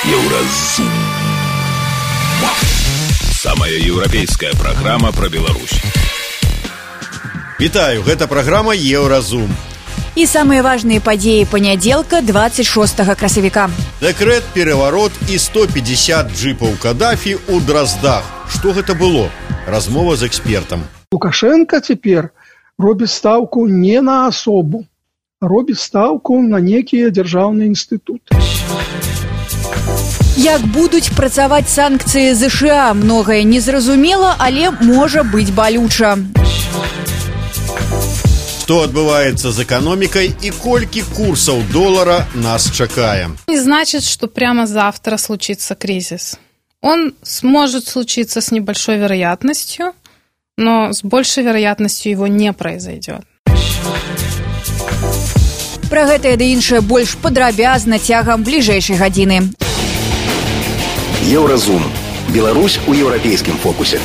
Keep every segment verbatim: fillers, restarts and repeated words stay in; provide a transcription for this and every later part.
Еўразум. Самая еўрапейская праграма пра Беларусь. Вітаю, гэта праграма Еўразум. І самыя важныя падзеі панядзелка двадцать шостага красавіка. Дэкрэт, пераварот і сто пятьдесят джипаў Каддафі ў Драздах. Што гэта было? Размова з экспертам. Лукашенко цяпер робіць стаўку не на асобу, а робіць стаўку на некія дзяржаўныя інстытуты. Як будуць працаваць санкцыі ЗША, многае незразумела, але можа быць балюча. Што адбываецца з эканомікай і колькі курсаў долара нас чакае? Не значит, что прямо завтра случится кризис. Он сможет случиться с небольшой вероятностью, но с большей вероятностью его не произойдет. Пра гэтае ды іншае больш падрабязна цягам бліжэйшай гадзіны. Еўразум. Беларусь у еўрапейскім фокусе.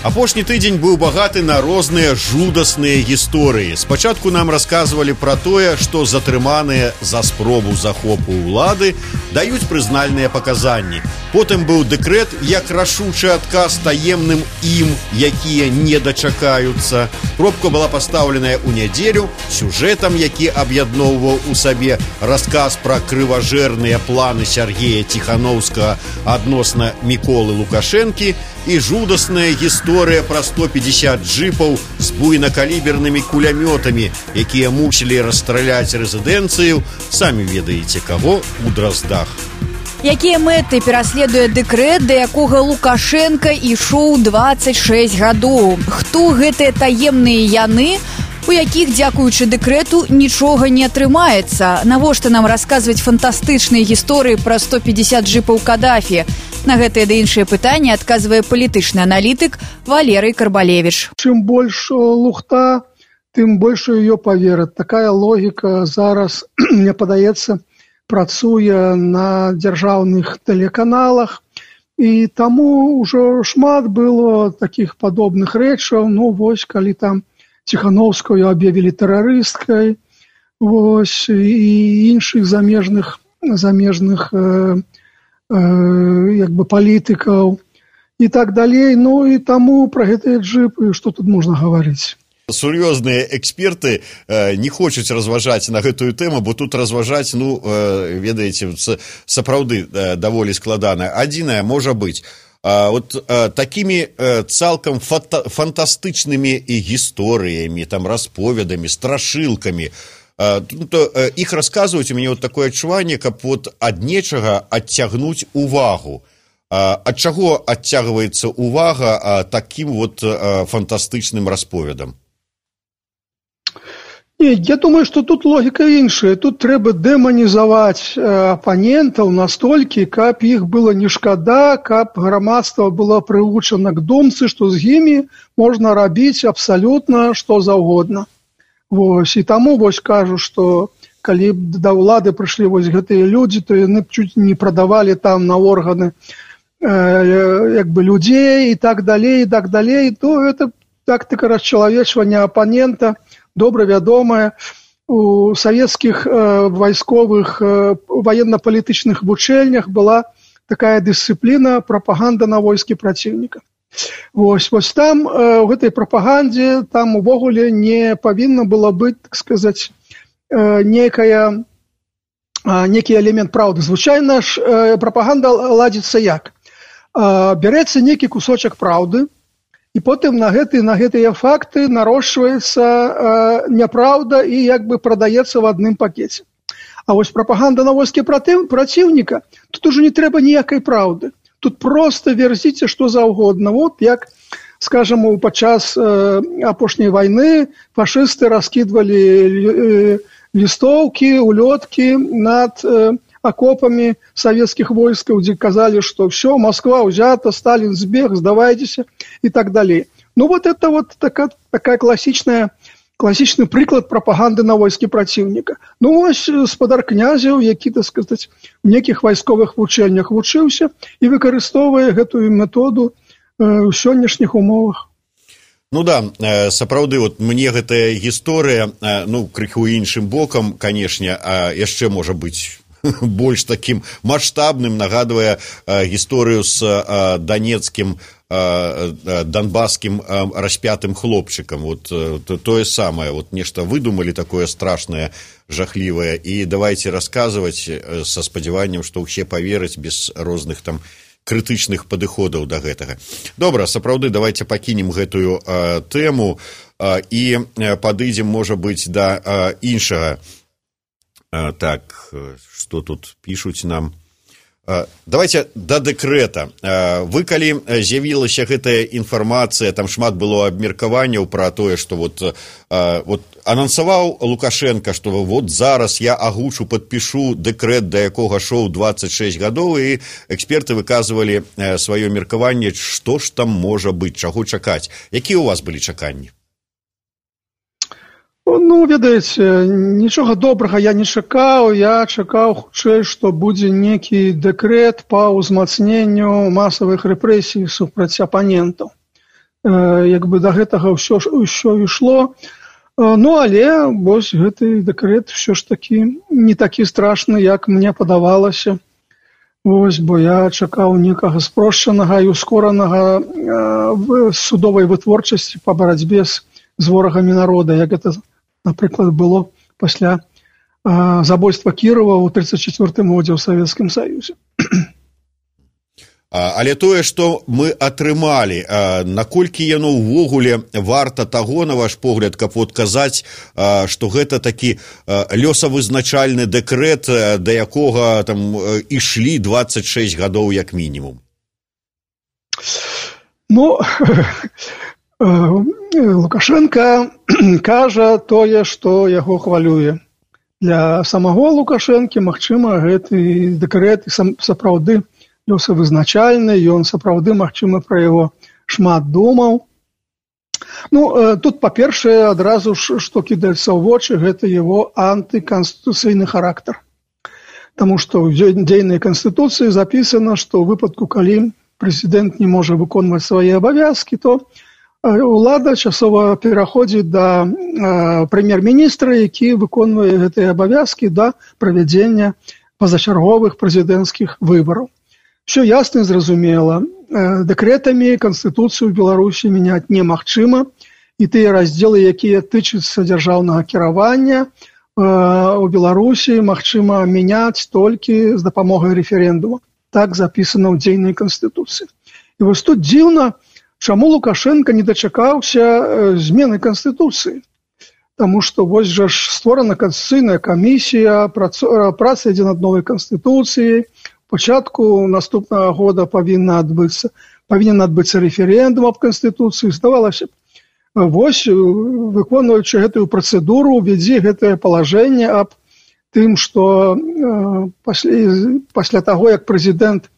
Апошні тыдзень быў багаты на розныя жудасныя гісторыі. Спачатку нам расказвалі пра тое, што затрыманыя за спробу захопу ўлады даюць прызнальныя паказанні. Потым быў дэкрэт як рашучы адказ таемным ім, якія не дачакаюцца. Пробка была пастаўленая ў нядзелю сюжэтам, які аб'ядноўваў у сабе расказ пра крыважэрныя планы Сергея Ціхановскага адносна Міколы Лукашэнкі і жудасная гісторыя пра сто пятьдесят джипаў з буйнакалібернымі кулямётамі, якія мусілі расстраляць рэзідэнцыю, самі ведаеце каго, у Драздах. Якія мэты пераследуе дэкрэт, да якога Лукашенко ішоў двадцать шесть гадоў? Хто гэтыя таемныя яны, у якіх, дзякуючы дэкрэту, нічога не атрымаецца? Навошта нам расказваць фантастычныя гісторыі пра сто пятьдесят джипаў Каддафі? На гэтыя ды іншыя пытанні адказвае палітычны аналітык Валерый Карбалевич. Чым больш лухта, тым больш ее поверят. Такая логіка зараз, мне падаецца, працуе на дзяржаўных тэлеканалах. І таму ўжо шмат было такіх падобных рэчаў. Ну, вось, калі там Ціхановскую аб'явілі тэрарысткай, вось, і іншых замежных, замежных э, як бы палітыкаў і так далей. Ну і таму пра гэтыя джипы, што тут можна гаварыць? Сур'ёзныя эксперты э, не хочуць разважаць на гэтую тэму, бо тут разважаць, ну, э, ведаеце, сапраўды э, даволі складана. Адзінае можа быць, э, вот э, такімі э, цалкам фата, фантастычнымі і гісторыямі, там, расповедамі, страшылкамі, то іх расказваюць, у мяне вот такое адчуванне, каб вот ад нечага адцягнуць увагу. Ад чаго адцягваецца увага такім вот фантастычным расповедам? Не, я думаю, што тут логіка іншая. Тут трэба дэманізаваць апанентаў настолькі, каб іх было не шкада, каб грамадства было прывучана к думцы, што з імі можна рабіць абсалютна што заўгодна. Вось, і таму вось кажу, што калі б да ўлады прыйшлі вось гэтыя людзі, то яны б чуць не прадавалі там на органы э, як бы людзей і так далей, і так далей, то гэта тактыка расчалавечвання апанента, добра вядомая. У савецкіх э, вайсковых э, военно-палітычных вучэльнях была такая дысцыпліна прапаганда на войскі праціўніка. Вось, вось там, у гэтай прапагандзе, там увогуле не павінна было быць, так сказаць, некая, некі элемент праўды. Звычайна ж прапаганда ладзіцца як? Бярэцца некі кусочак праўды, і потым на гэты, на гэтыя факты нарошчваецца няпраўда і як бы прадаецца в адным пакеце. А вось прапаганда на войскі праціўніка, тут ужо не трэба ніякай праўды. Тут просто верзіце што заўгодна. Вот як, скажем, падчас э, апошняй вайны фашысты раскідвалі э, лістоўкі, улёткі над э, акопамі савецкіх войскаў, дзе казалі, што все, Москва ўзята, Сталін збег, здавайцеся і так далей. Ну вот это вот такая, такая класічная класічны прыклад прапаганды на войскі праціўніка. Ну вось спадар князяў, які, так сказаць, у некіх вайсковых вучэльнях вучыўся і выкарыстоўвае гэтую методу э, ў сённяшніх умовах. Ну да, сапраўды, вот мне гэтая гісторыя, ну, крыху іншым бокам, канешне, а яшчэ можа быць больш такім маштабным, нагадвае гісторыю з данецкім донбасскім распятым хлопчыкам. Вот тое самае, вот нешта выдумалі такое страшнае, жахлівае, і давайте расказваць са спадзяваннем, што ўсе павераць без розных там крытычных падыходаў да гэтага. Добра, сапраўды, давайте пакінем гэтую а, тэму а, і падыдзем, можа быць, да а, іншага. А, так, што тут пішуць нам? А, давайте да дэкрэта. А, вы, калі з'явілася гэтая інфармацыя, там шмат было абмеркаванняў пра тое, што вот, а, вот анансаваў Лукашенко, што вот зараз я агучу, падпішу дэкрэт, да якога шоў дваццаць шэсць гадоў, і эксперты выказвалі сваё меркаванне, што ж там можа быць, чаго чакаць. Якія ў вас былі чаканні? Ну, ведаеце, нічога добрага я не чакаў, я чакаў хутчэй, што будзе некі дэкрэт па ўзмацненню масавых рэпрэсій супраць апанентаў. Э, як бы да гэтага ўсё, ўсё ішло. Э, ну, але вось гэты дэкрэт ўсё ж такі не такі страшны, як мне падавалася. Вось, бо я чакаў некага спрошчанага і ускоранага э, судовай вытворчасці па барацьбе з, з ворагамі народа, як гэта, напрыклад, было пасля э, забойства Кірова ў тридцать четвёртым годзе ў Савецкім Саюзе. Але тое, што мы атрымалі, наколькі яно ўвогуле варта таго, на ваш погляд, каб вот казаць, што гэта такі лёсавызначальны дэкрэт, да якога там ішлі дваццаць шэсць гадоў як мінімум? Ну, Лукашенко кажа тое, што яго хвалюе. Для самого Лукашэнкі, магчыма, гэты дэкрэт сапраўды лёсавызначальны, ён сапраўды, магчыма, пра яго шмат думаў. Ну, тут, па-першае, адразу ж, што кідаецца ў вочы, гэта яго антыканстытуцыйны характар. Таму што ў дзейнай канстытуцыі запісана, што ў выпадку, калі прэзідэнт не можа выконваць свае абавязкі, то ўлада часова пераходзіць да прэм'ер-міністра, які выконвае гэтыя абавязкі да правядзення пазачарговых прэзідэнцкіх выбараў. Все ясна і зразумела. Дэкрэтамі Канстытуцыю Беларусі мяняць немагчыма, і тыя раздзелы, якія тычацца дзяржаўнага кіравання у Беларусі, магчыма мяняць толькі з дапамогай рэферэндума. Так запісана ў дзейнай Канстытуцыі. І вось тут дзіўна, чаму Лукашенко не дачакаўся змены Канстытуцыі. Таму што вось жа ж створана Канстытуцыйная камісія, праца ідзе над новай Канстытуцыяй, пачатку наступнага года павінна адбыцца, павінен адбыцца рэферэндум аб Канстытуцыі. Здавалася б, вось, выконваючы гэтую працэдуру, увядзе гэтае палажэнне аб тым, што э, пасля, пасля таго, як прэзідэнт э,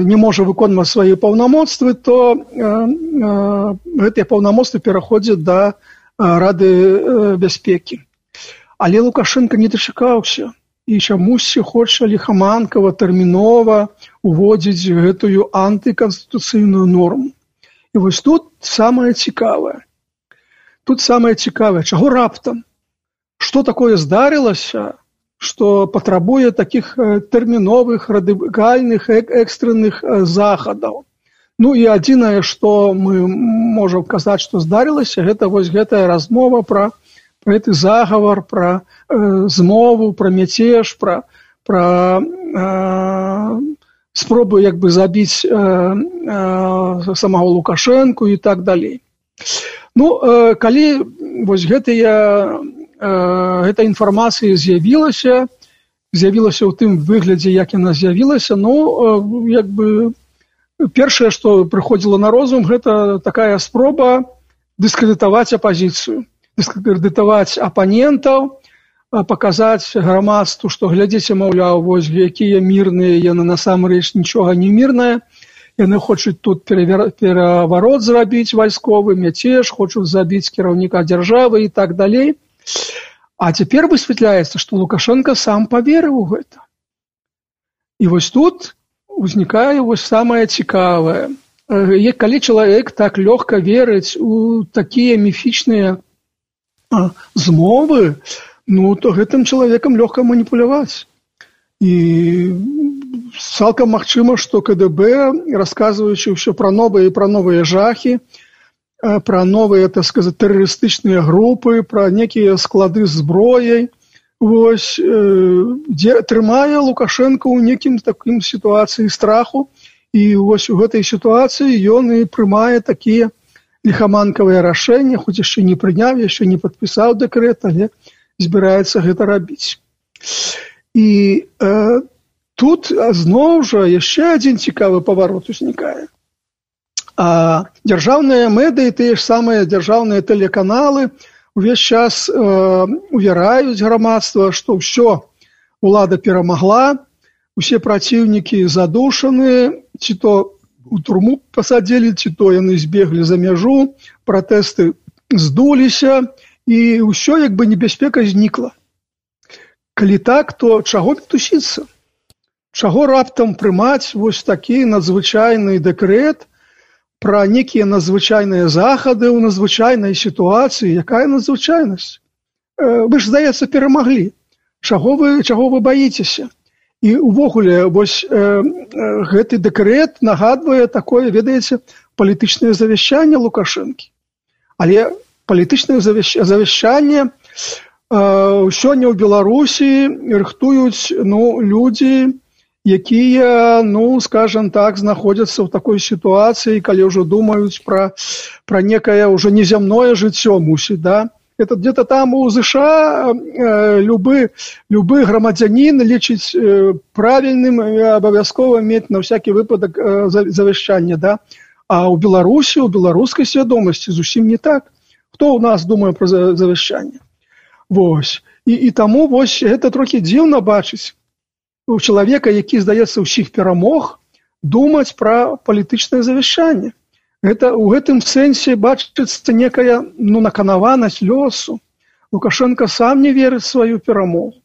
не можа выконваць свае паўнамоцтвы, то э, э, гэтыя паўнамоцтвы пераходзяць да э, Рады э, бяспекі. Але Лукашенко не дачакаўся. І чамусьці хоча ліхаманкава, тэрмінова уводзіць гэтую антыканстытуцыйную норму. І вось тут самае цікавае. Тут самае цікавае, чаго раптам? Што такое здарылася, што патрабуе такіх тэрміновых, радыкальных, экстранных захадаў? Ну і адзінае, што мы можам казаць, што здарылася, гэта вось гэтая размова пра гэты загавар, пра э, змову, пра мяцеж, пра, пра э, спробу як бы забіць э, э, самого Лукашэнку і так далей. Ну, э, калі вось гэтая, э, гэта інфармацыя з'явілася, з'явілася ў тым выглядзе, як яна з'явілася, ну, э, як бы першае, што прыходзіла на розум, гэта такая спроба дыскрэдытаваць апазіцыю. Дыскрэдытаваць апанентаў, паказаць грамадству, што глядзіце, маўляў, вось якія мірныя, яны насамрэч нічога не мірнае, яны хочуць тут пераварот зрабіць вайсковы, мяцеж, хочуць забіць кіраўніка дзяржавы і так далей. А цяпер высвятляецца, што Лукашенко сам паверыў у гэта. І вось тут узнікае вось самае цікавае. Калі чалавек так лёгка верыць у такія міфічныя змовы, ну, то гэтым чалавекам лёгка маніпуляваць. І цалкам магчыма, што КДБ, расказваючы ўсё пра новыя і пра новыя жахі, пра новыя, так сказаць, тэрарыстычныя групы, пра некія склады з зброяй, вось, дзе трымае Лукашенко ў некім такім сітуацыі страху, і вось у гэтай сітуацыі ён і прымае такія ліхаманкавыя рашэнні, хоць яшчэ не прыняў, яшчэ не падпісаў дэкрэт, але збіраецца гэта рабіць. І э, тут зноў жа яшчэ адзін цікавы паварот узнікае. А дзяржаўныя медыі, тыя ж самыя дзяржаўныя тэлеканалы увесь час э, увераюць грамадства, што ўсё, улада перамагла, усе праціўнікі задушаны, ці то у турму пасадзілі, ці то яны збеглі за мяжу, пратэсты здуліся, і ўсё як бы небяспека знікла. Калі так, то чаго мітусіцца? Чаго раптам прымаць вось такі надзвычайны дэкрэт пра некія надзвычайныя захады ў надзвычайнай сітуацыі? Якая надзвычайнасць? Вы ж, здаецца, перамаглі. Чаго вы, чаго вы баіцеся? І увогуле, вось э, гэты дэкрэт нагадвае такое, ведаеце, палітычнае завяшчанне Лукашэнкі. Але палітычнае завяшчанне э, сёння ў Беларусі рыхтуюць, ну, людзі, якія, ну, скажем так, знаходзяцца ў такой сітуацыі, калі ўжо думаюць пра, пра некае ўжо незямное жыццё мусіць, да? Это где-то там у США э, любы, любы грамадзянін лічыць э, правільным і абавязкова мець на всякі выпадак э, завяшчанне, да? А ў Беларусі, у беларускай свядомасці зусім не так. Хто ў нас думае пра завяшчанне? Вось. І, і таму вось гэта трохі дзіўна бачыць у чалавека, які, здаецца, ўсіх перамог, думаць пра палітычнае завяшчанне. Гэта у гэтым сэнсе бачыцца некая, ну, наканаванасць лёсу. Лукашенко сам не верыць сваю перамогу.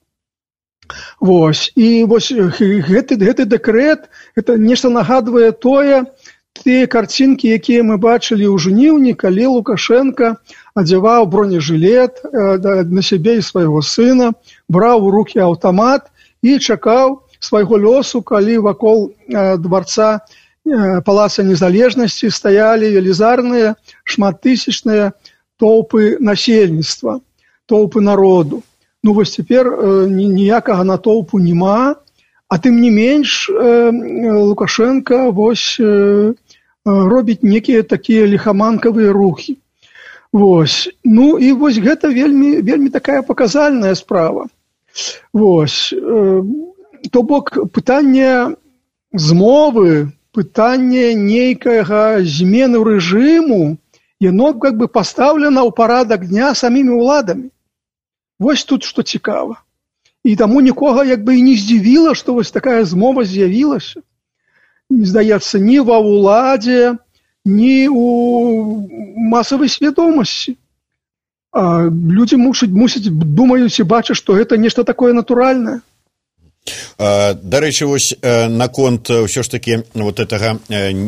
Вось. І вось гэты, гэты дэкрэт, гэта нешта нагадвае тое, тыя карцінкі, якія мы бачылі ў жніўні, калі Лукашенко адзяваў бронежылет на сябе і свайго сына, браў у рукі аўтамат і чакаў свайго лёсу, калі вакол дварца Палаца Незалежнасці стаялі велізарныя шматтысячныя толпы насельніцтва, толпы народу. Ну вось цяпер ніякага натоўпу няма, а тым не менш Лукашенко вось робіць некія такія ліхаманкавыя рухі. Вось. Ну і вось гэта вельмі, вельмі такая паказальная справа. Вось. То бок пытанне змовы, пытанне нейкага змены рэжыму, яно как бы пастаўлена ў парадак дня самімі ўладамі. Вось тут што цікава. І таму нікога як бы і не здзівіла, што вось такая змова з'явілася. Не здаецца, ні ва ўладзе, ні ў масавай свядомасці. А людзі мусяць, мусяць думаюць і бачаць, што гэта нешта такое натуральнае. Дарэчы, вось наконт ўсё ж такі вот гэтага,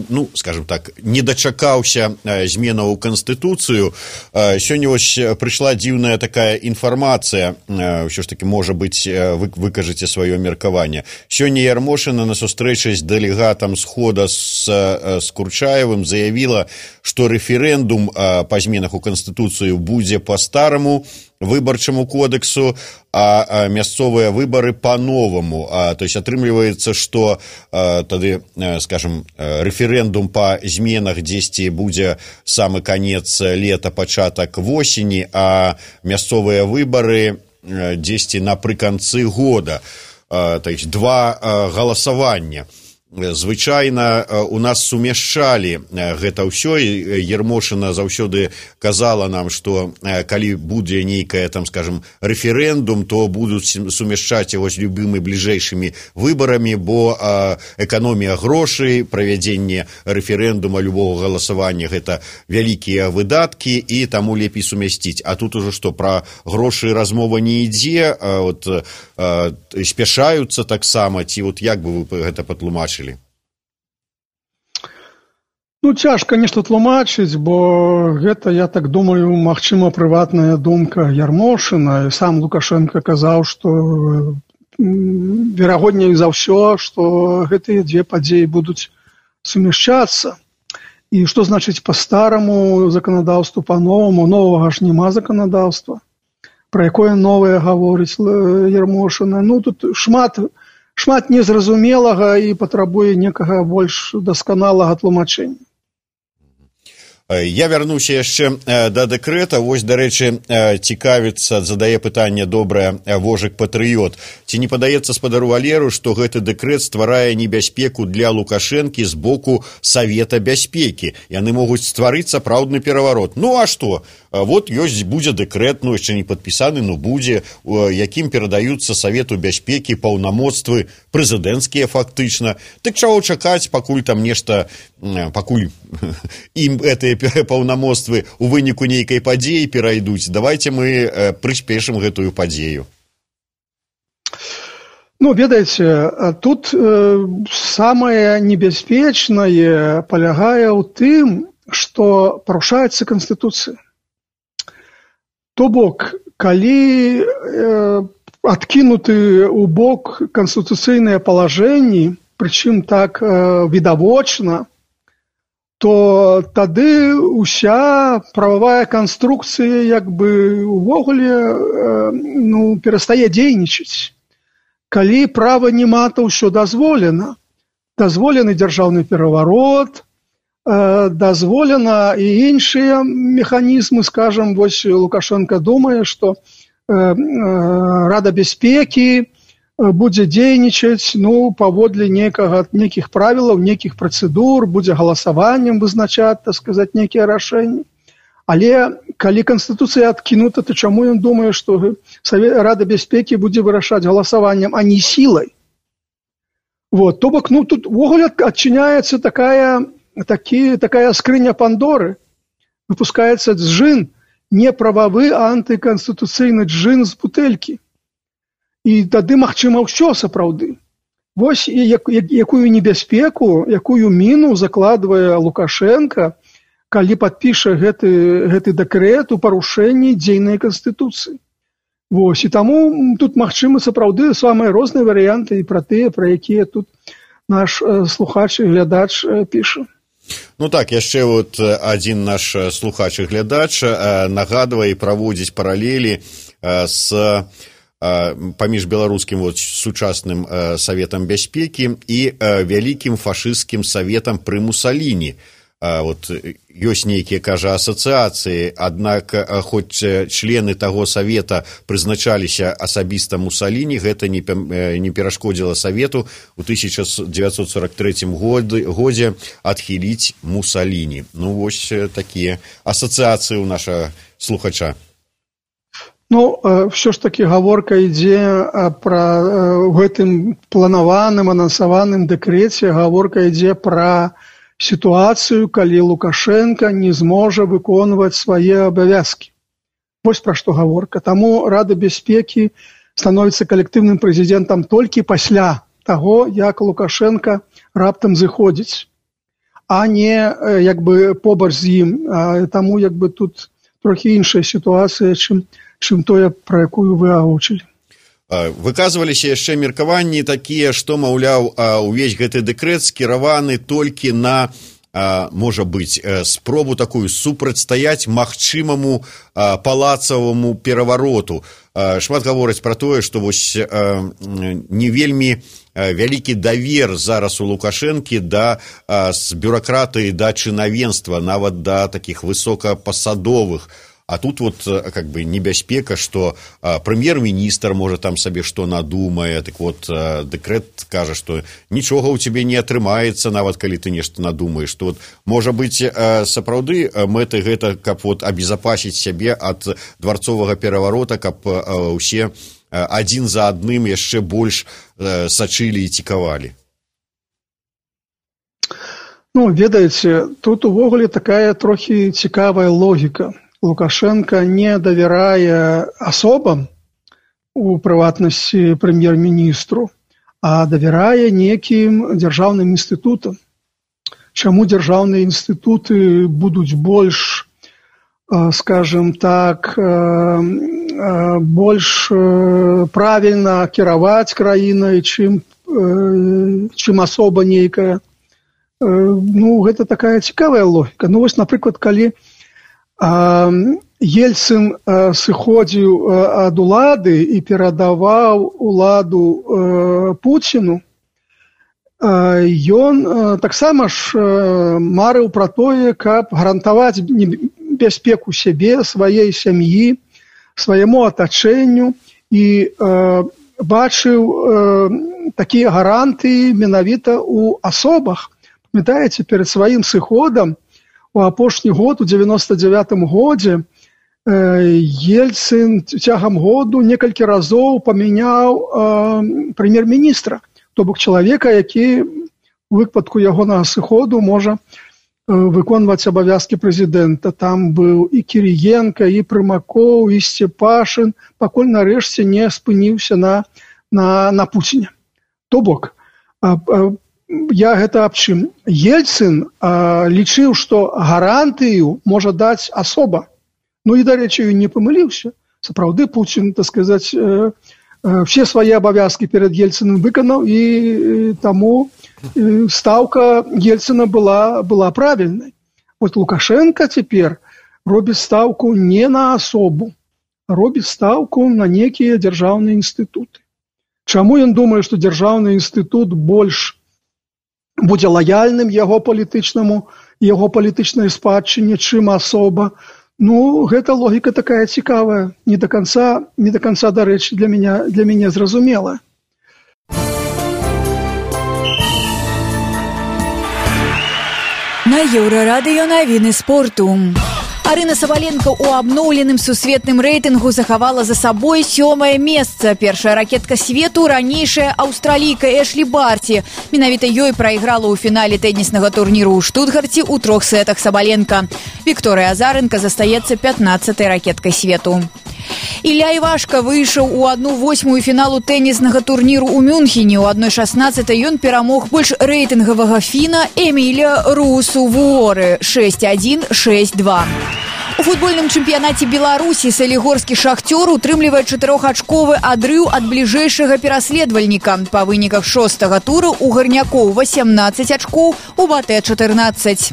ну, скажем так, не дачакаўся зменаў у Канстытуцыю. Сёння вось прыйшла дзіўная такая інфармацыя, ўсё ж такі, можа быць, вы выкажаце сваё меркаванне. Сёння Ярмошына на сустрэчы з дэлегатам Схода з Курчаевым заявіла, што рэферэндум па зменах у Канстытуцыю будзе па-стараму выбарчаму кодексу, а мясцовыя выбары по-новому. А, то есть атрымліваецца, што а, тады, скажем, рэферэндум па зменах дзесьці будзе самы канец лета, пачатак восені, а мясцовыя выбары дзесьці напрыканцы года. А, то есть два а, галасавання. Звычайна у нас сумяшчалі гэта ўсё, і Ярмошына заўсёды казала нам, што калі будзе нейкая, там, скажем, рэферэндум, то будуць сумяшчаць яго з любымі бліжэйшымі выбарамі, бо эканомія грошай, правядзенне рэферэндума, любого галасавання — гэта вялікія выдаткі, і таму лепей сумясціць. А тут ужо што, пра грошы размова не ідзе, от, спяшаюцца таксама, ці вот як бы вы гэта патлумачылі? Ну, цяжка нешта тлумачыць, бо гэта, я так думаю, магчыма, прыватная думка Ярмошына. Сам Лукашенко казаў, што верагодней за ўсё, што гэтыя дзве падзеі будуць сумяшчацца. І што значыць па-стараму заканадаўству, па-новаму? Новага ж няма заканадаўства. Пра якое новае гаворыць Ярмошына? Ну, тут шмат, шмат незразумелага і патрабуе некага больш дасканалага тлумачэння. Я вярнуся яшчэ да дэкрэта. Вось, дарэчы, цікавіцца, задае пытанне добрае Вожык Патрыёт. Ці не падаецца спадару Валеру, што гэты дэкрэт стварае небяспеку для Лукашэнкі з боку Савета бяспекі? Яны могуць стварыць сапраўдны пераварот. Ну, а што? Вот ёсць, будзе дэкрэт, ну, яшчэ не падпісаны, ну, будзе, якім перадаюцца Савету бяспекі паўнамоцтвы прэзідэнцкія фактычна. Дык чаго чакаць, пакуль там нешта, пакуль ім гэтыя паўнамоцтвы у выніку нейкай падзеі перайдуць? Давайте мы прыспешым гэтую падзею. Ну, ведаеце, тут э, самае небяспечнае палягае ў тым, што парушаецца Канстытуцыя. То бок, калі э, адкінуты ў бок канстытуцыйныя палажэнні, прычым так э, відавочна, то тады ўся прававая канструкцыя як бы увогуле э, ну, перастае дзейнічаць. Калі права няма, то ўсё дазволена. Дазволены дзяржаўны пераварот, э, дазволена і іншыя механізмы, скажам, вось Лукашенко думае, што э, э, Рада бяспекі будзе дзейнічаць, ну, паводле некага, нейкіх правілаў, нейкіх працэдур, будзе галасаваннем вызначаць, так сказаць, нейкія рашэнні. Але калі Канстытуцыя адкінута, то чаму ён думае, што Рада бяспекі будзе вырашаць галасаваннем, а не сілай? Вот, то бок, ну, тут увогуле адчыняецца такая, такі, такая скрыня Пандоры. Выпускаецца джин, неправавы антыканстытуцыйны джин з бутэлькі. І тады магчыма ўсё сапраўды. Вось як, якую небяспеку, якую міну закладвае Лукашенко, калі падпіша гэты, гэты дэкрэт у парушэнні дзейнай Канстытуцыі. Вось, і таму тут магчымы сапраўды самыя розныя варыянты і пра тыя, пра якія тут наш э, слухач і глядач э, піша. Ну так, яшчэ вот адзін наш слухач і глядач э, нагадвае і праводзіць паралелі э, з паміж беларускім вот, сучасным э, Саветам бяспекі і э, вялікім фашысцкім Саветам пры Мусаліні. Э, вот, ёсць нейкія, кажа, асацыяцыі, аднак э, хоць члены таго Савета прызначаліся асабіста Мусаліні, гэта не, э, не перашкодзіла Савету у тысяча дзевяцьсот сорок трэцім годзе адхіліць Мусаліні. Ну, вось такія асацыяцыі ў нашага слухача. Ну, все ж таки гаворка ідзе пра гэтым планаваным, анансаваным дэкрэце, гаворка ідзе пра сітуацыю, калі Лукашенко не зможа выконваць свае абавязкі. Вось пра што гаворка. Таму Рада бяспекі становіцца калектыўным прэзідэнтам толькі пасля таго, як Лукашенко раптам зыходзіць, а не як бы побач з ім. Таму як бы тут трохі іншая сітуацыя, чым чым тое, пра якую вы агучылі. Выказваліся яшчэ меркаванні такія, што, маўляў, увесь гэты дэкрэт скіраваны толькі на, можа быць, спробу такую супрацьстаяць магчымаму палацаваму перавароту. Шмат гавораць пра тое, што вось не вельмі вялікі давер зараз у Лукашэнкі да з бюракратыі да чынавенства, нават да такіх высокапасадовых. А тут вот как бы небяспека, что а, прэм'ер-міністр можа там сабе што надумае, так вот а, дэкрэт кажа, што нічога ў цябе не атрымаецца, нават калі ты нешта надумаеш, што вот можа быць а, сапраўды мэты гэта, каб вот абезапасіць сябе ад дварцовага пераварота, каб а, усе а, адзін за адным яшчэ больш а, сачылі і цікавалі. Ну, ведаеце, тут увогуле такая трохі цікавая логіка. Лукашенко не давярае асобам, у прыватнасці прэм'ер-міністру, а давярае некім дзяржаўным інстытутам. Чаму дзяржаўныя інстытуты будуць больш, скажем так, больш правільна кіраваць краінай, чым, чым асоба нейкая. Ну, гэта такая цікавая логіка. Ну, вось, напрыклад, калі Ельцын сыходзіў ад улады і перадаваў уладу Пуціну, ён таксама ж марыў пра тое, каб гарантаваць бяспеку сябе, сваей сям'і, свайму атачэнню і бачыў такія гарантыі менавіта ў асобах. Памятаеце, перад сваім сыходам у апошні год, у дзевяноста дзявятым годзе, Ельцын цягам году некалькі разоў памяняў прэм'ер-міністра, то бок чалавека, які у выпадку ягонага сыходу можа выконваць абавязкі прэзідэнта. Там быў і Кіріенка, і Прымакоў, і Сцепашын, пакуль нарэшце не спыніўся на, на, на Пуціне. То бок, я гэта аб чым? Ельцын лічыў, што гарантыю можа даць асоба. Ну і, дарэчы, ён не памыліўся. Сапраўды, Пуцін, так сказаць, все свае абавязкі перад Ельцыным выканаў, і таму стаўка Ельцына была, была правільнай. Вот Лукашенко цяпер робіць стаўку не на асобу, а робіць стаўку на некія дзяржаўныя інстытуты. Чаму ён думае, што дзяржаўны інстытут больш будзе лаяльным яго палітычнаму, яго палітычнай спадчыне, чым асоба? Ну, гэта логіка такая цікавая, не до конца, не до конца, дарэчы, для мяне, для мяне зразумела. На Еўрарадыё навіны спорту. Арына Сабаленко ў абноўленым сусветным рэйтынгу захавала за сабой сёмае месца. Першая ракетка свету, ранейшая аўстралійка Эшлі Барці. Менавіта ёй прайграла ў фінале тэніснага турніру ў Штутгарце ў трох сетах Сабаленко. Вікторыя Азаренка застаецца пятнаццатай ракеткай свету. Ілля Івашка выйшаў у адну восьмую фіналу тэніснага турніру ў Мюнхене. У адной шаснаццатай ён перамог больш рэйтынгавага фіна Эміля Русу-Вуоры шэсць адзін шэсць два. У футбольным чэмпіянаце Беларусі салігорскі «Шахтёр» утрымлівае чатырохачковы адрыў ад бліжэйшага пераследавальніка. Па выніках шостага тура у гарнякоў васямнаццаць ачкоў, у батэ чатырнаццаць.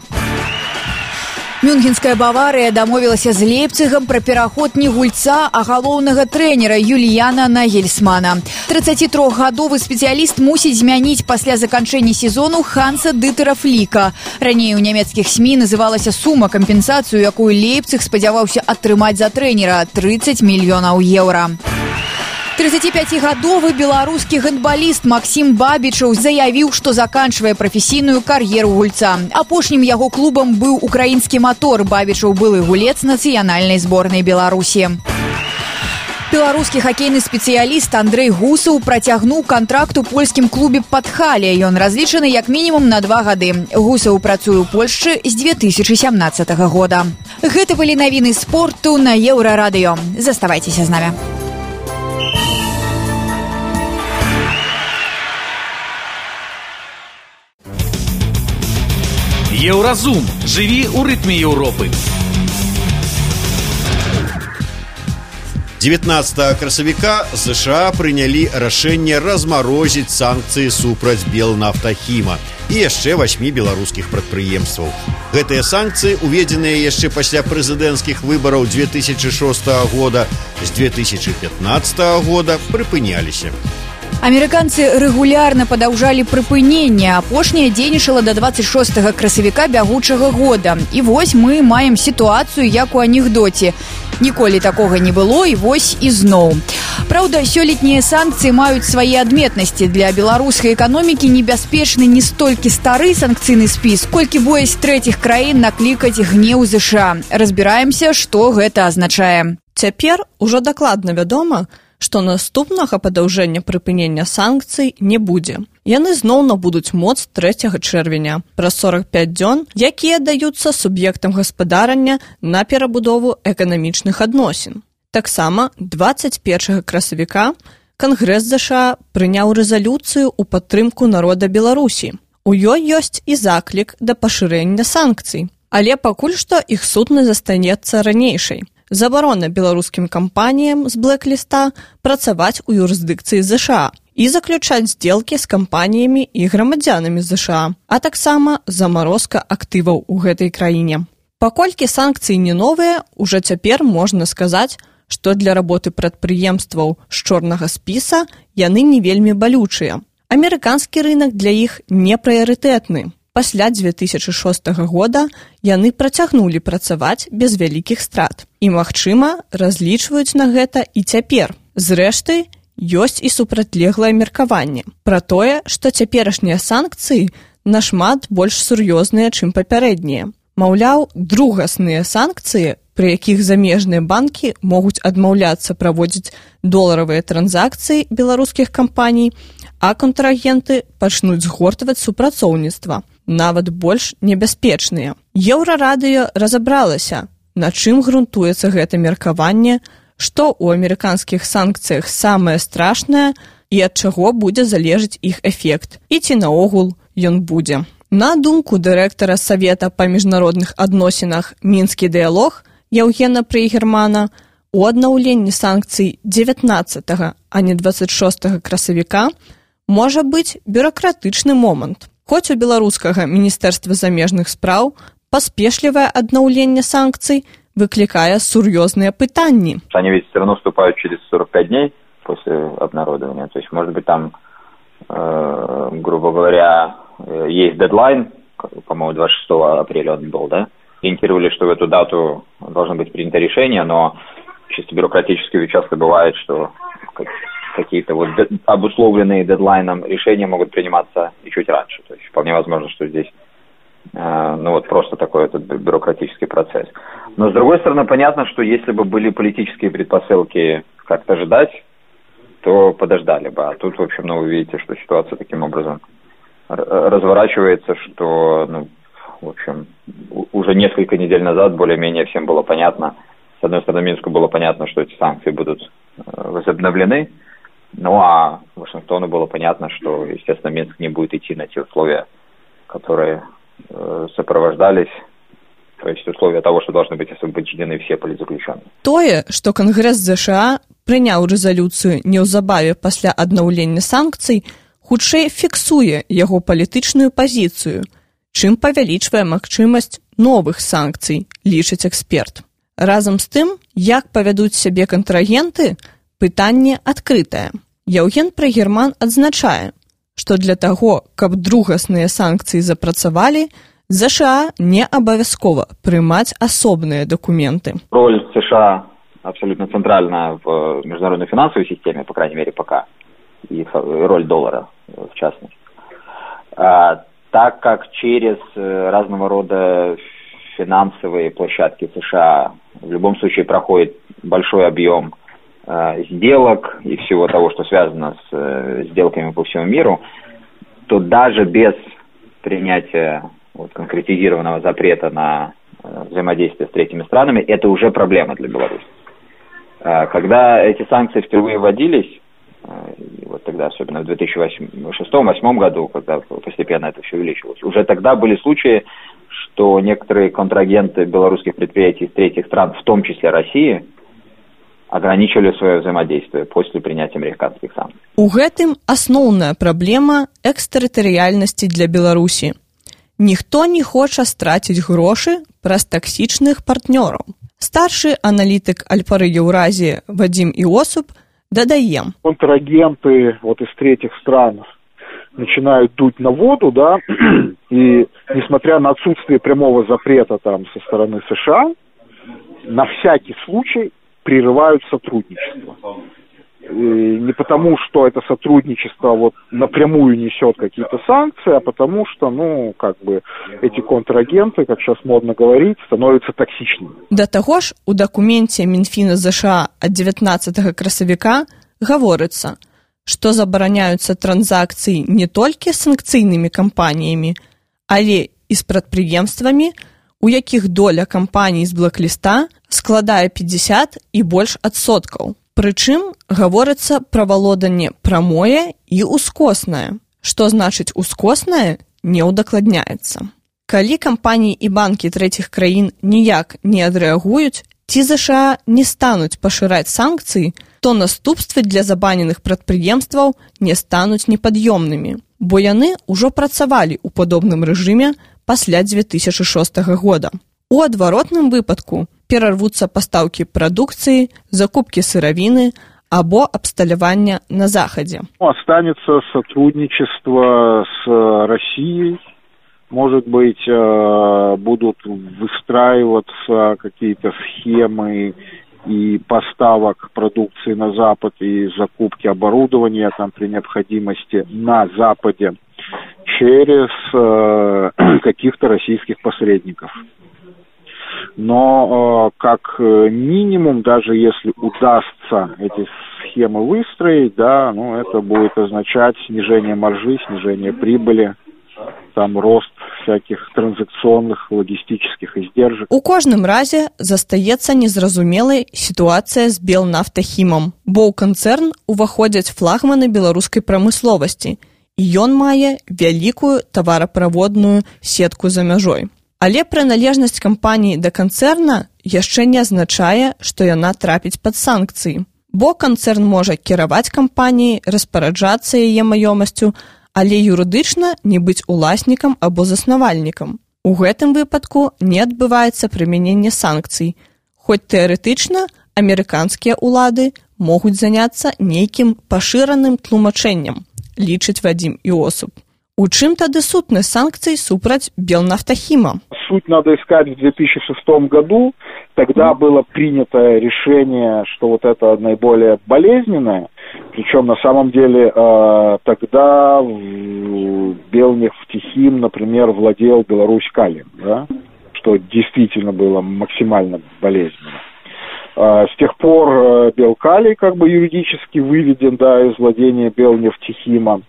Мюнхенская «Баварыя» дамовілася з Лейпцигам пра пераход не гульца, а галоўнага трэнера Юліяна Нагельсмана. трыццацітрохгадовы спецыяліст мусіць змяніць пасля заканчэння сезону Ханса Дытера Фліка. Раней у нямецкіх СМІ называлася сума кампенсацыю, якую Лейпциг спадзяваўся атрымаць за трэнера – трыццаць мільёнаў еўра. трыццаціпяцігадовы беларускі гандбаліст Максім Бабічаў заявіў, што заканчвае прафесійную кар'еру гульца. Апошнім яго клубам быў украінскі «Мотор». Бабічаў былы гулец нацыянальнай зборнай Беларусі. Беларускі хакейны спецыяліст Андрэй Гусаў працягнуў кантракт у польскім клубе «Падхале». Ён разлічаны як мінімум на два гады. Гусаў працуе ў Польшчы з дзве тысячы сямнаццатага года. Гэта былі навіны спорту на Еўрарадыё. Заставайцеся з намі. Еўразум. Жыві ў рытме Еўропы. дзевятнаццатага красавіка ЗША прынялі рашэнне размарозіць санкцыі супраць Белнафтахіма і яшчэ васьмі беларускіх прадпрыемстваў. Гэтыя санкцыі, уведзеныя яшчэ пасля прэзідэнцкіх выбараў дзве тысячы шостага года, з дзве тысячы пятнаццатага года прыпыняліся. Амерыканцы рэгулярна падаўжалі прыпыненне. Апошняе дзейнічала да дваццаць шостага красавіка бягучага года. І вось мы маем сітуацыю, як у анекдоце. Ніколі такога не было, і вось ізноў. Праўда, сёлетнія санкцыі маюць свае адметнасці. Для беларускай эканомікі небяспечны не столькі стары санкцыйны спіс, колькі боязь трэціх краін наклікаць гнеў ЗША. Разбіраемся, што гэта азначае. Цяпер ужо дакладна вядома, што наступнага падаўжэння прыпынення санкцый не будзе. Яны зноў набудуць моц трэцяга чэрвеня, праз сорак пяць дзён, якія даюцца суб'ектам гаспадарання на перабудову эканамічных адносін. Таксама дваццаць першага красавіка Кангрэс ЗША прыняў рэзалюцыю ў падтрымку народа Беларусі. У ёй ёсць і заклік да пашырэння санкцый. Але пакуль што іх сутнасць застанецца ранейшай. забарона беларускім кампаніям з блэк-ліста працаваць у юрысдыкцыі ЗША і заключаць здзелкі з кампаніямі і грамадзянамі ЗША, а таксама замарозка актываў у гэтай краіне. Паколькі санкцыі не новыя, ужо цяпер можна сказаць, што для работы прадпрыемстваў з чорнага спіса яны не вельмі балючыя. Амерыканскі рынак для іх не прыярытэтны. Пасля дзве тысячы шостага года яны працягнулі працаваць без вялікіх страт. І, магчыма, разлічваюць на гэта і цяпер. Зрэшты, ёсць і супрацьлеглае меркаванне пра тое, што цяперашнія санкцыі нашмат больш сур'ёзныя, чым папярэднія. Маўляў, другасныя санкцыі, пры якіх замежныя банкі могуць адмаўляцца праводзіць доларавыя транзакцыі беларускіх кампаній, а контрагенты пачнуць згортваць супрацоўніцтва, нават больш небяспечныя. Еўрарадыё разабралася, на чым грунтуецца гэта меркаванне, што ў амерыканскіх санкцыях самае страшнае і ад чаго будзе залежыць іх эфект, і ці наогул ён будзе. На думку дырэктара Савета па міжнародных адносінах «Мінскі дыялог» Яўгена Прейгермана, у аднаўленні санкцый дзевятнаццатага, а не дваццаць шостага красавіка можа быць бюракратычны момант. Хоць у беларускага міністэрства замежных спраў паспешлівае аднаўленне санкцый выкликая сурьезные пытанни. Они ведь все равно вступают через сорок пять дней после обнародования. То есть, может быть, там, э, грубо говоря, есть дедлайн, по-моему, двадцать шестого апреля он был, да? Ориентировали, что в эту дату должно быть принято решение, но чисто бюрократически часто бывает, что какие-то вот обусловленные дедлайном решения могут приниматься и чуть раньше. То есть вполне возможно, что здесь э, ну вот просто такой этот бюрократический процесс. Но с другой стороны, понятно, что если бы были политические предпосылки как-то ждать, то подождали бы. А тут, в общем, ну, вы видите, что ситуация таким образом разворачивается, что, ну, в общем, уже несколько недель назад более-менее всем было понятно. С одной стороны, Минску было понятно, что эти санкции будут возобновлены. Ну, а Вашингтону было понятно, что, естественно, Минск не будет идти на те условия, которые э, сопровождались, то есть условия того, что должны быть освобождены все политзаключенные. Тое, што Кангрэс ЗША прыняў рэзалюцыю неўзабаве пасля аднаўлення санкцый, хутчэй фіксуе яго палітычную пазіцыю, чым павялічвае магчымасць новых санкцый, лічыць эксперт. Разам з тым, як павядуць сябе кантрагенты, пытанне адкрытае. Яўген Прейгерман адзначае, што для таго, каб другасныя санкцыі запрацавалі, ЗША не абавязкова прымаць асобныя документы. Роль США абсолютно центральна в международной финансовой системе, по крайней мере, пока, и роль доллара, в частности. А, так как через разного рода финансовые площадки США в любом случае проходит большой объем э, сделок и всего того, что связано с э, сделками по всему миру, то даже без принятия вот, конкретизированного запрета на э, взаимодействие с третьими странами, это уже проблема для Беларуси. Э, когда эти санкции впервые вводились, э, вот тогда, особенно в две тысячи шестом-две тысячи восьмом году, когда постепенно это все увеличивалось, уже тогда были случаи, что некоторые контрагенты белорусских предприятий из третьих стран, в том числе России, ограничивали свое взаимодействие после принятия американских санкций. У гэтым асноўная праблема экстэрытарыяльнасці для Беларусі. Ніхто не хоча страціць грошы праз таксічных партнёраў. Старшы аналітык Альпары Еўразіі Вадим Иосуп дадае. Контрагенты вот из третьих стран начинают дуть на воду, да, и несмотря на отсутствие прямого запрета там со стороны США, на всякий случай прерывают сотрудничество. И не потому, что это сотрудничество вот напрямую несет какие-то санкции, а потому что, ну, как бы эти контрагенты, как сейчас модно говорить, становятся токсичными. Да таго ж, у дакуменце Мінфіна ЗША ад дзевятнаццатага красавіка гаворыцца, што забараняюцца транзакцыі не толькі з санкцыйнымі кампаніямі, але і з прадпрыемствамі, у якіх доля кампаній з блэк-ліста складае пятьдесят і больш адсоткаў. Прычым гаворыцца пра валоданне прамое і ускоснае. Што значыць ускоснае, не ўдакладняецца. Калі кампаніі і банкі трэціх краін ніяк не адрэагуюць ці ЗША не стануць пашыраць санкцыі, то наступствы для забаненых прадпрыемстваў не стануць непад'ёмнымі, бо яны ўжо працавалі ў падобным рэжыме пасля дзве тысячы шостага года. У адваротным выпадку перарвуцца пастаўкі прадукцыі, закупкі сыравіны або абсталявання на Захадзе. Останется сотрудничество с Россией. Может быть, будут выстраиваться какие-то схемы и поставок продукции на Запад, и закупки оборудования там при необходимости на Западе через каких-то российских посредников. Но как минимум, даже если удастся эти схемы выстроить, да, ну, это будет означать снижение маржи, снижение прибыли, там рост всяких транзакционных логистических издержек. У кожным разе застаецца незразумелай сітуацыя з Белнафтахімам, бо ў канцэрн уваходзяць флагманы беларускай прамысловасці, і ён мае вялікую тавараправодную сетку за мяжой. Але прыналежнасць кампаніі да канцэрна яшчэ не азначае, што яна трапіць пад санкцыі, бо канцэрн можа кіраваць кампаніяй, распараджацца яе маёмасцю, але юрыдычна не быць уласнікам або заснавальнікам. У гэтым выпадку не адбываецца прымяненне санкцый, хоць тэарэтычна амерыканскія ўлады могуць заняцца нейкім пашыраным тлумачэннем, лічыць Вадзім Іосуп. У чым тады сутнасць санкцый супраць Белнафтахима? Суть надо искать в две тысячи шестом году. Тогда было принято решение, что вот это наиболее болезненное. Причем на самом деле тогда Белнафтахим, например, владел Беларусь-Калием, да? Что действительно было максимально болезненно. С тех пор Белкалий как бы юридически выведен, да, из владения Белнафтахима.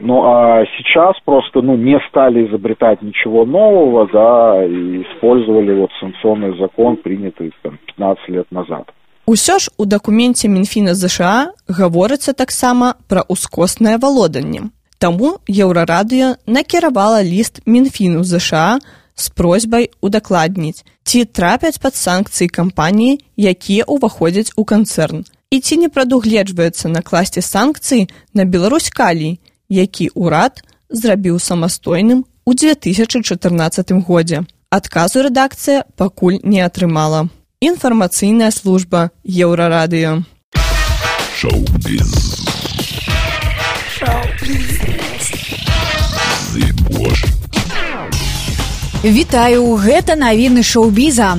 Ну, а сейчас просто, ну, не стали изобретать ничего нового, да, и использовали вот санкционный закон, принятый там пятнадцать лет назад. Усё ж у дакуменце Мінфіна ЗША гаворыцца таксама пра ускоснае валоданне. Таму Еўрарадыё накіравала ліст Мінфіну ЗША з просьбай удакладніць, ці трапяць пад санкцыі кампаніі, якія ўваходзяць у канцэрн, і ці не прадугледжваецца накласці санкцыі на Беларусь-Калій, які ўрад зрабіў самастойным у дзве тысячы чатырнаццатым годзе. Адказу рэдакцыя пакуль не атрымала. Інфармацыйная служба Еўрарадыё. Шоу-біз. Вітаю, гэта навіны шоу-біза.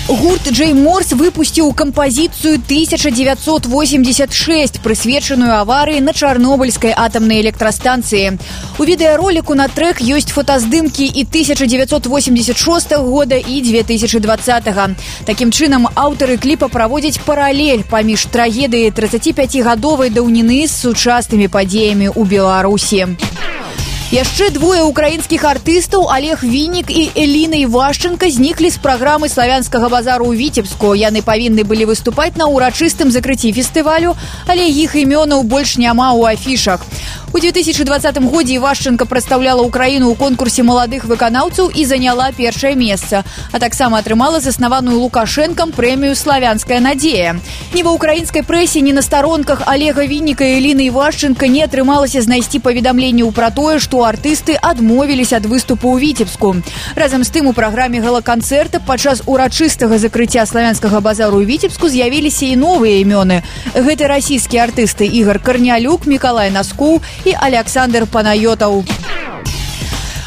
Гурт Джей Морс выпусціў кампазіцыю тысяча дзевяцьсот восемьдесят шесть, прысвечаную аварыі на Чарнобыльскай атамнай электрастанцыі. У відэароліку на трэк ёсць фотаздымкі і тысяча дзевяцьсот восемьдесят шостага года і дзве тысячы двадцатага. Такім чынам, аўтары кліпа праводзяць паралель паміж трагедыяй трыццаціпяцігадовай даўніны з сучаснымі падзеямі ў Беларусі. Яшчэ двое украінскіх артыстаў, Олег Віннік і Эліна Івашченка, зніклі з праграмы славянскага базару ў Віцебску. Яны павінны былі выступаць на ўрачыстым закрыцці фестывалю, але іх імёнаў больш няма ў афішах. У дзве тысячы двадцатым годзе Івашченка прадстаўляла ўкраіну ў конкурсе маладых выканаўцаў і заняла першае месца, а таксама атрымала заснаваную Лукашэнкам прэмію «Славянская надзея». Ні ва ўкраінскай прэсе, ні на старонках Олега Вінніка і Эліны Івашченка не атрымалася знайсці паведамленняў пра тое, што артысты адмовіліся ад выступу ў Віцебску. Разам з тым у праграме гала-канцэрта падчас урачыстага закрыцця славянскага базару ў Віцебску з'явіліся і новыя імёны. Гэта расійскія артысты Ігор Карнялюк, Мікалай Наскоў і Александр Панайотаў.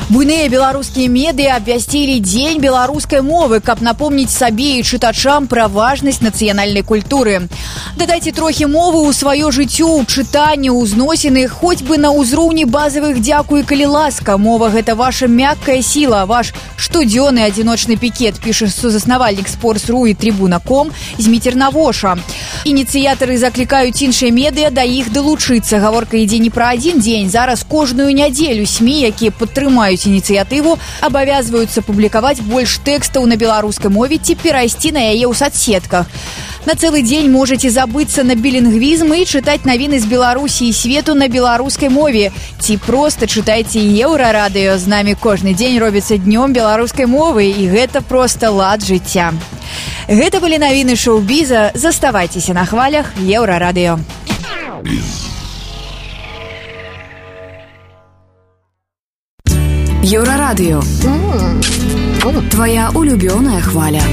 Буйныя беларускія медыа абвясцілі дзень беларускай мовы, каб напомніць сабе і чытачам пра важнасць нацыянальнай культуры. Дадайце трохі мовы ў сваё жыццё, ў чытанне, ў зносіны, хоць бы на ўзроўні базавых дзякуй, калі ласка. Мова – гэта ваша мяккая сіла, ваш штодзённы адзіночны пікет, піша сузаснавальнік Спорс.ру і Трибуна точка ком Зміцер Навоша. Ініцыятары заклікаюць іншыя медыа да іх далучыцца. Гаворка ідзе не пра адзін дзень. Зараз кожную нядзелю СМІ, якія падтрымаюць ініцыятыву, абавязваюцца публікаваць больш тэкстаў на беларускай мове ці перайсці на яе ў сацсетках. На целый день можете забыться на билингвизм и читать новины з Беларусі і свету на беларускай мове. Ці просто чытайце Еўрарадыё. З намі кожны дзень робіцца днём беларускай мовы, і гэта просто лад жыцця. Гэта былі навіны шоу-біза. Заставайцеся на хвалях Еўрарадыё. Еўрарадыё. Твоя улюбёная хваля.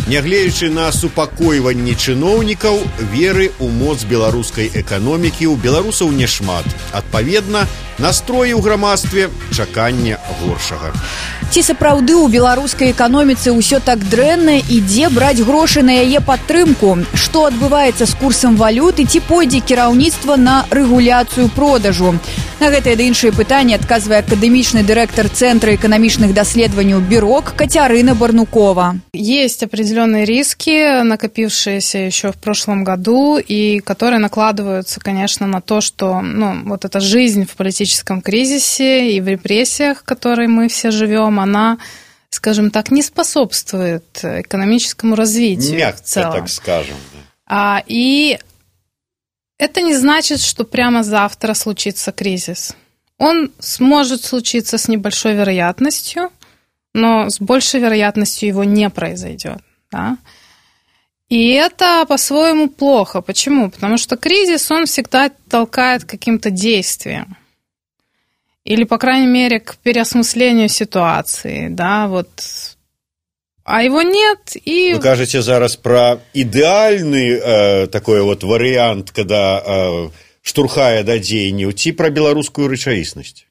Нягледзячы на супакойванне чыноўнікаў, веры ў моц беларускай эканомікі ў беларусаў няшмат. Адпаведна, настроі ў грамадстве чакання горшага. Ці сапраўды ў беларускай эканоміцы ўсё так дрэнна і дзе браць грошы на яе падтрымку? Што адбываецца з курсам валюты, ці пойдзе кіраўніцтва на рэгуляцыю продажу? На гэтыя ды іншыя пытанні адказвае акадэмічны дырэктар Центра эканамічных даследаванняў БІРОК Кацярына Барнукова. Есть определенные риски, накопившиеся еще в прошлом году, и которые накладываются, конечно, на то, что ну, вот эта жизнь в политическом кризисе и в репрессиях, в которой мы все живем, она, скажем так, не способствует экономическому развитию. Мягко, так скажем. А, и это не значит, что прямо завтра случится кризис. Он сможет случиться с небольшой вероятностью, но с большей вероятностью его не произойдет. Да? И это по-своему плохо. Почему? Потому что кризис, он всегда толкает к каким-то действиям. Или, по крайней мере, к переосмыслению ситуации. Да? Вот. А его нет. И... Вы кажете зараз про идеальный э, такой вот вариант, когда э, штурхае да дзеянняў, ці про белорусскую рэчаіснасць?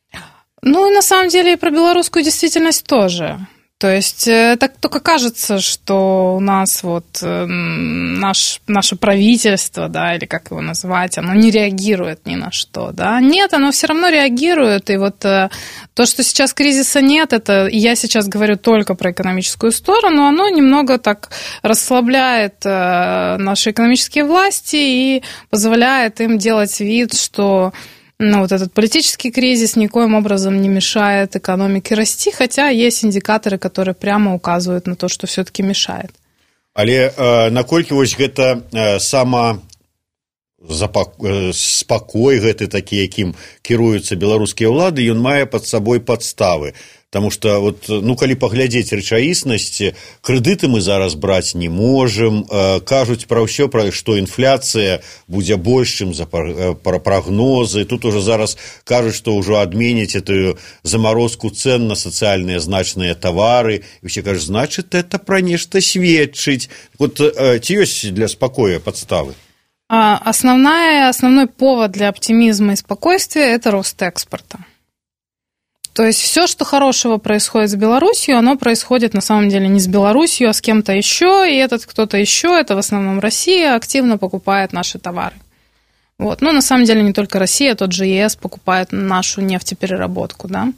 Ну, на самом деле, и про белорусскую действительность тоже. То есть, так только кажется, что у нас вот наш, наше правительство, да, или как его назвать, оно не реагирует ни на что, да. Нет, оно все равно реагирует, и вот то, что сейчас кризиса нет, это, я сейчас говорю только про экономическую сторону, оно немного так расслабляет наши экономические власти и позволяет им делать вид, что... Ну, вот этот политический кризис никоим образом не мешает экономике расти, хотя есть индикаторы, которые прямо указывают на то, что все-таки мешает. Але э, наколькі вось гэта э, сама запак... э, спакой гэты такі, якім кіруюцца беларускія ўлады, ён мае пад сабой падставы. Потому что, вот, ну, калі паглядзець рэчаіснасць, крэдыты мы зараз браць не можам, э, кажуць пра ўсё, пра што інфляцыя будзе больш, чым за пра прагнозы. Тут уже зараз кажуць, што ўжо адменяць эту замарозку цен на сацыяльныя значныя тавары. І ўсе кажуць, значит, это пра нешта сведчыць. Вот э, ці ёсць для спакоя падставы? Основная, основной повод для оптимизма и спокойствия – это рост экспорта. То есть все, что хорошего происходит с Беларусью, оно происходит на самом деле не с Беларусью, а с кем-то еще, и этот кто-то еще, это в основном Россия, активно покупает наши товары. Вот. Ну, на самом деле не только Россия, тот же ЕС покупает нашу нефтепереработку, да.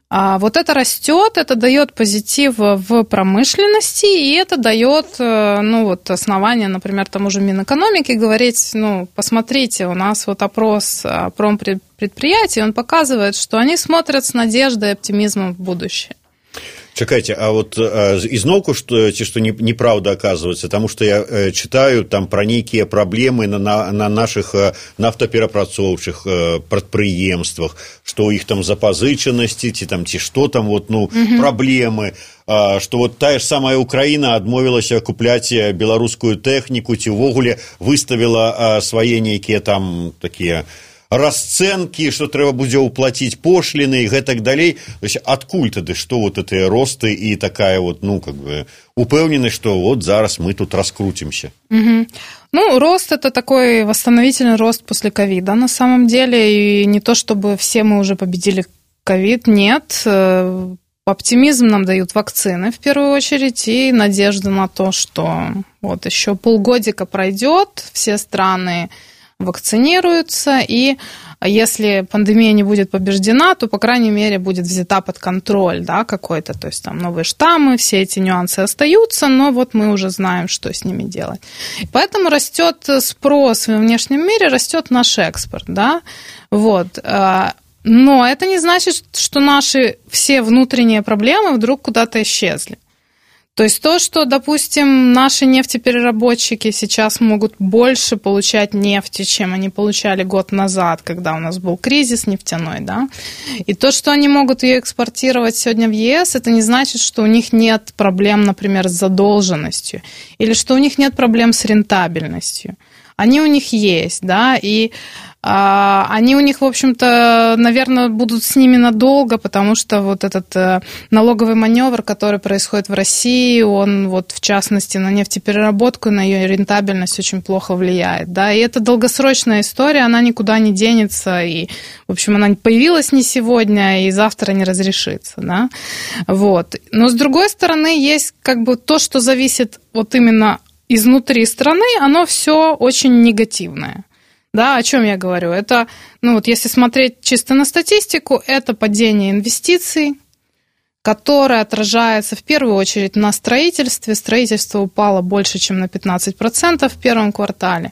А вот это растет, это дает позитив в промышленности, и это дает, ну, вот основание, например, тому же Минэкономики говорить, ну, посмотрите, у нас вот опрос промпредприятий, он показывает, что они смотрят с надеждой и оптимизмом в будущее. Чакайте, а вот изноўку, что, что неправда оказывается, потому что я читаю там про некие проблемы на, на, на наших нафтаперапрацоўчых прадпрыемствах, что у них там запазычанасці, ці там, ці что там, вот, ну, угу. проблемы, что вот та же самая Украина отмовилась купляць беларускую тэхніку, ці ўвогуле выставила свае нейкія там такие... расцэнкі, што трэба будзе ўплаціць пошліны і гэтак далей. То есть адкуль тады, што вот эти росты і такая вот, ну, как бы, упэўненасць, што вот зараз мы тут раскрутимся? Угу. Ну, рост – это такой восстановительный рост после ковида, на самом деле, и не то, чтобы все мы уже победили ковид, нет. Оптимизм нам дают вакцины, в первую очередь, и надежда на то, что вот еще полгодика пройдет, все страны вакцинируются, и если пандемия не будет побеждена, то, по крайней мере, будет взята под контроль, да, какой-то, то есть там новые штаммы, все эти нюансы остаются, но вот мы уже знаем, что с ними делать. И поэтому растет спрос во внешнем мире, растет наш экспорт, да, вот. Но это не значит, что наши все внутренние проблемы вдруг куда-то исчезли. То есть то, что, допустим, наши нефтепереработчики сейчас могут больше получать нефти, чем они получали год назад, когда у нас был кризис нефтяной, да, и то, что они могут ее экспортировать сегодня в ЕС, это не значит, что у них нет проблем, например, с задолженностью, или что у них нет проблем с рентабельностью. Они у них есть, да, и а, они у них, в общем-то, наверное, будут с ними надолго, потому что вот этот а, налоговый маневр, который происходит в России, он вот в частности на нефтепереработку, на ее рентабельность очень плохо влияет, да, и это долгосрочная история, она никуда не денется, и, в общем, она появилась не сегодня, и завтра не разрешится, да, вот. Но, с другой стороны, есть как бы то, что зависит вот именно изнутри страны, оно все очень негативное. Да, о чем я говорю? Это, ну вот если смотреть чисто на статистику, это падение инвестиций, которое отражается в первую очередь на строительстве. Строительство упало больше, чем на пятнадцать процентов в первом квартале.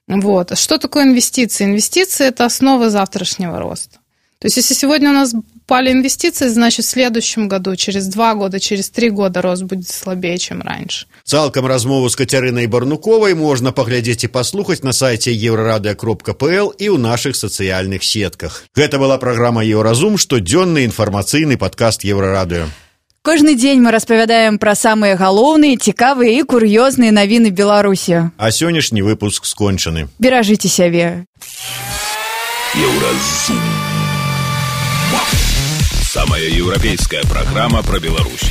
Вот. Что такое инвестиции? Инвестиции – это основа завтрашнего роста. То есть если сегодня у нас упали инвестиции, значит в следующем году, через два года, через три года рост будет слабее, чем раньше. Цалкам размову з Кацярынай Барнуковай можна паглядзець і паслухаць на сайце еўрарадыё кропка пл і ў нашых сацыяльных сетках. Гэта была праграма «Еўразум», штодзённы інфармацыйны падкаст Еўрарадыё. Кожны дзень мы распавядаем пра самыя галоўныя, цікавыя і кур'ёзныя навіны Беларусі. А сённяшні выпуск скончаны. Беражыце сябе. Еўразум. Самая европейская программа про Беларусь.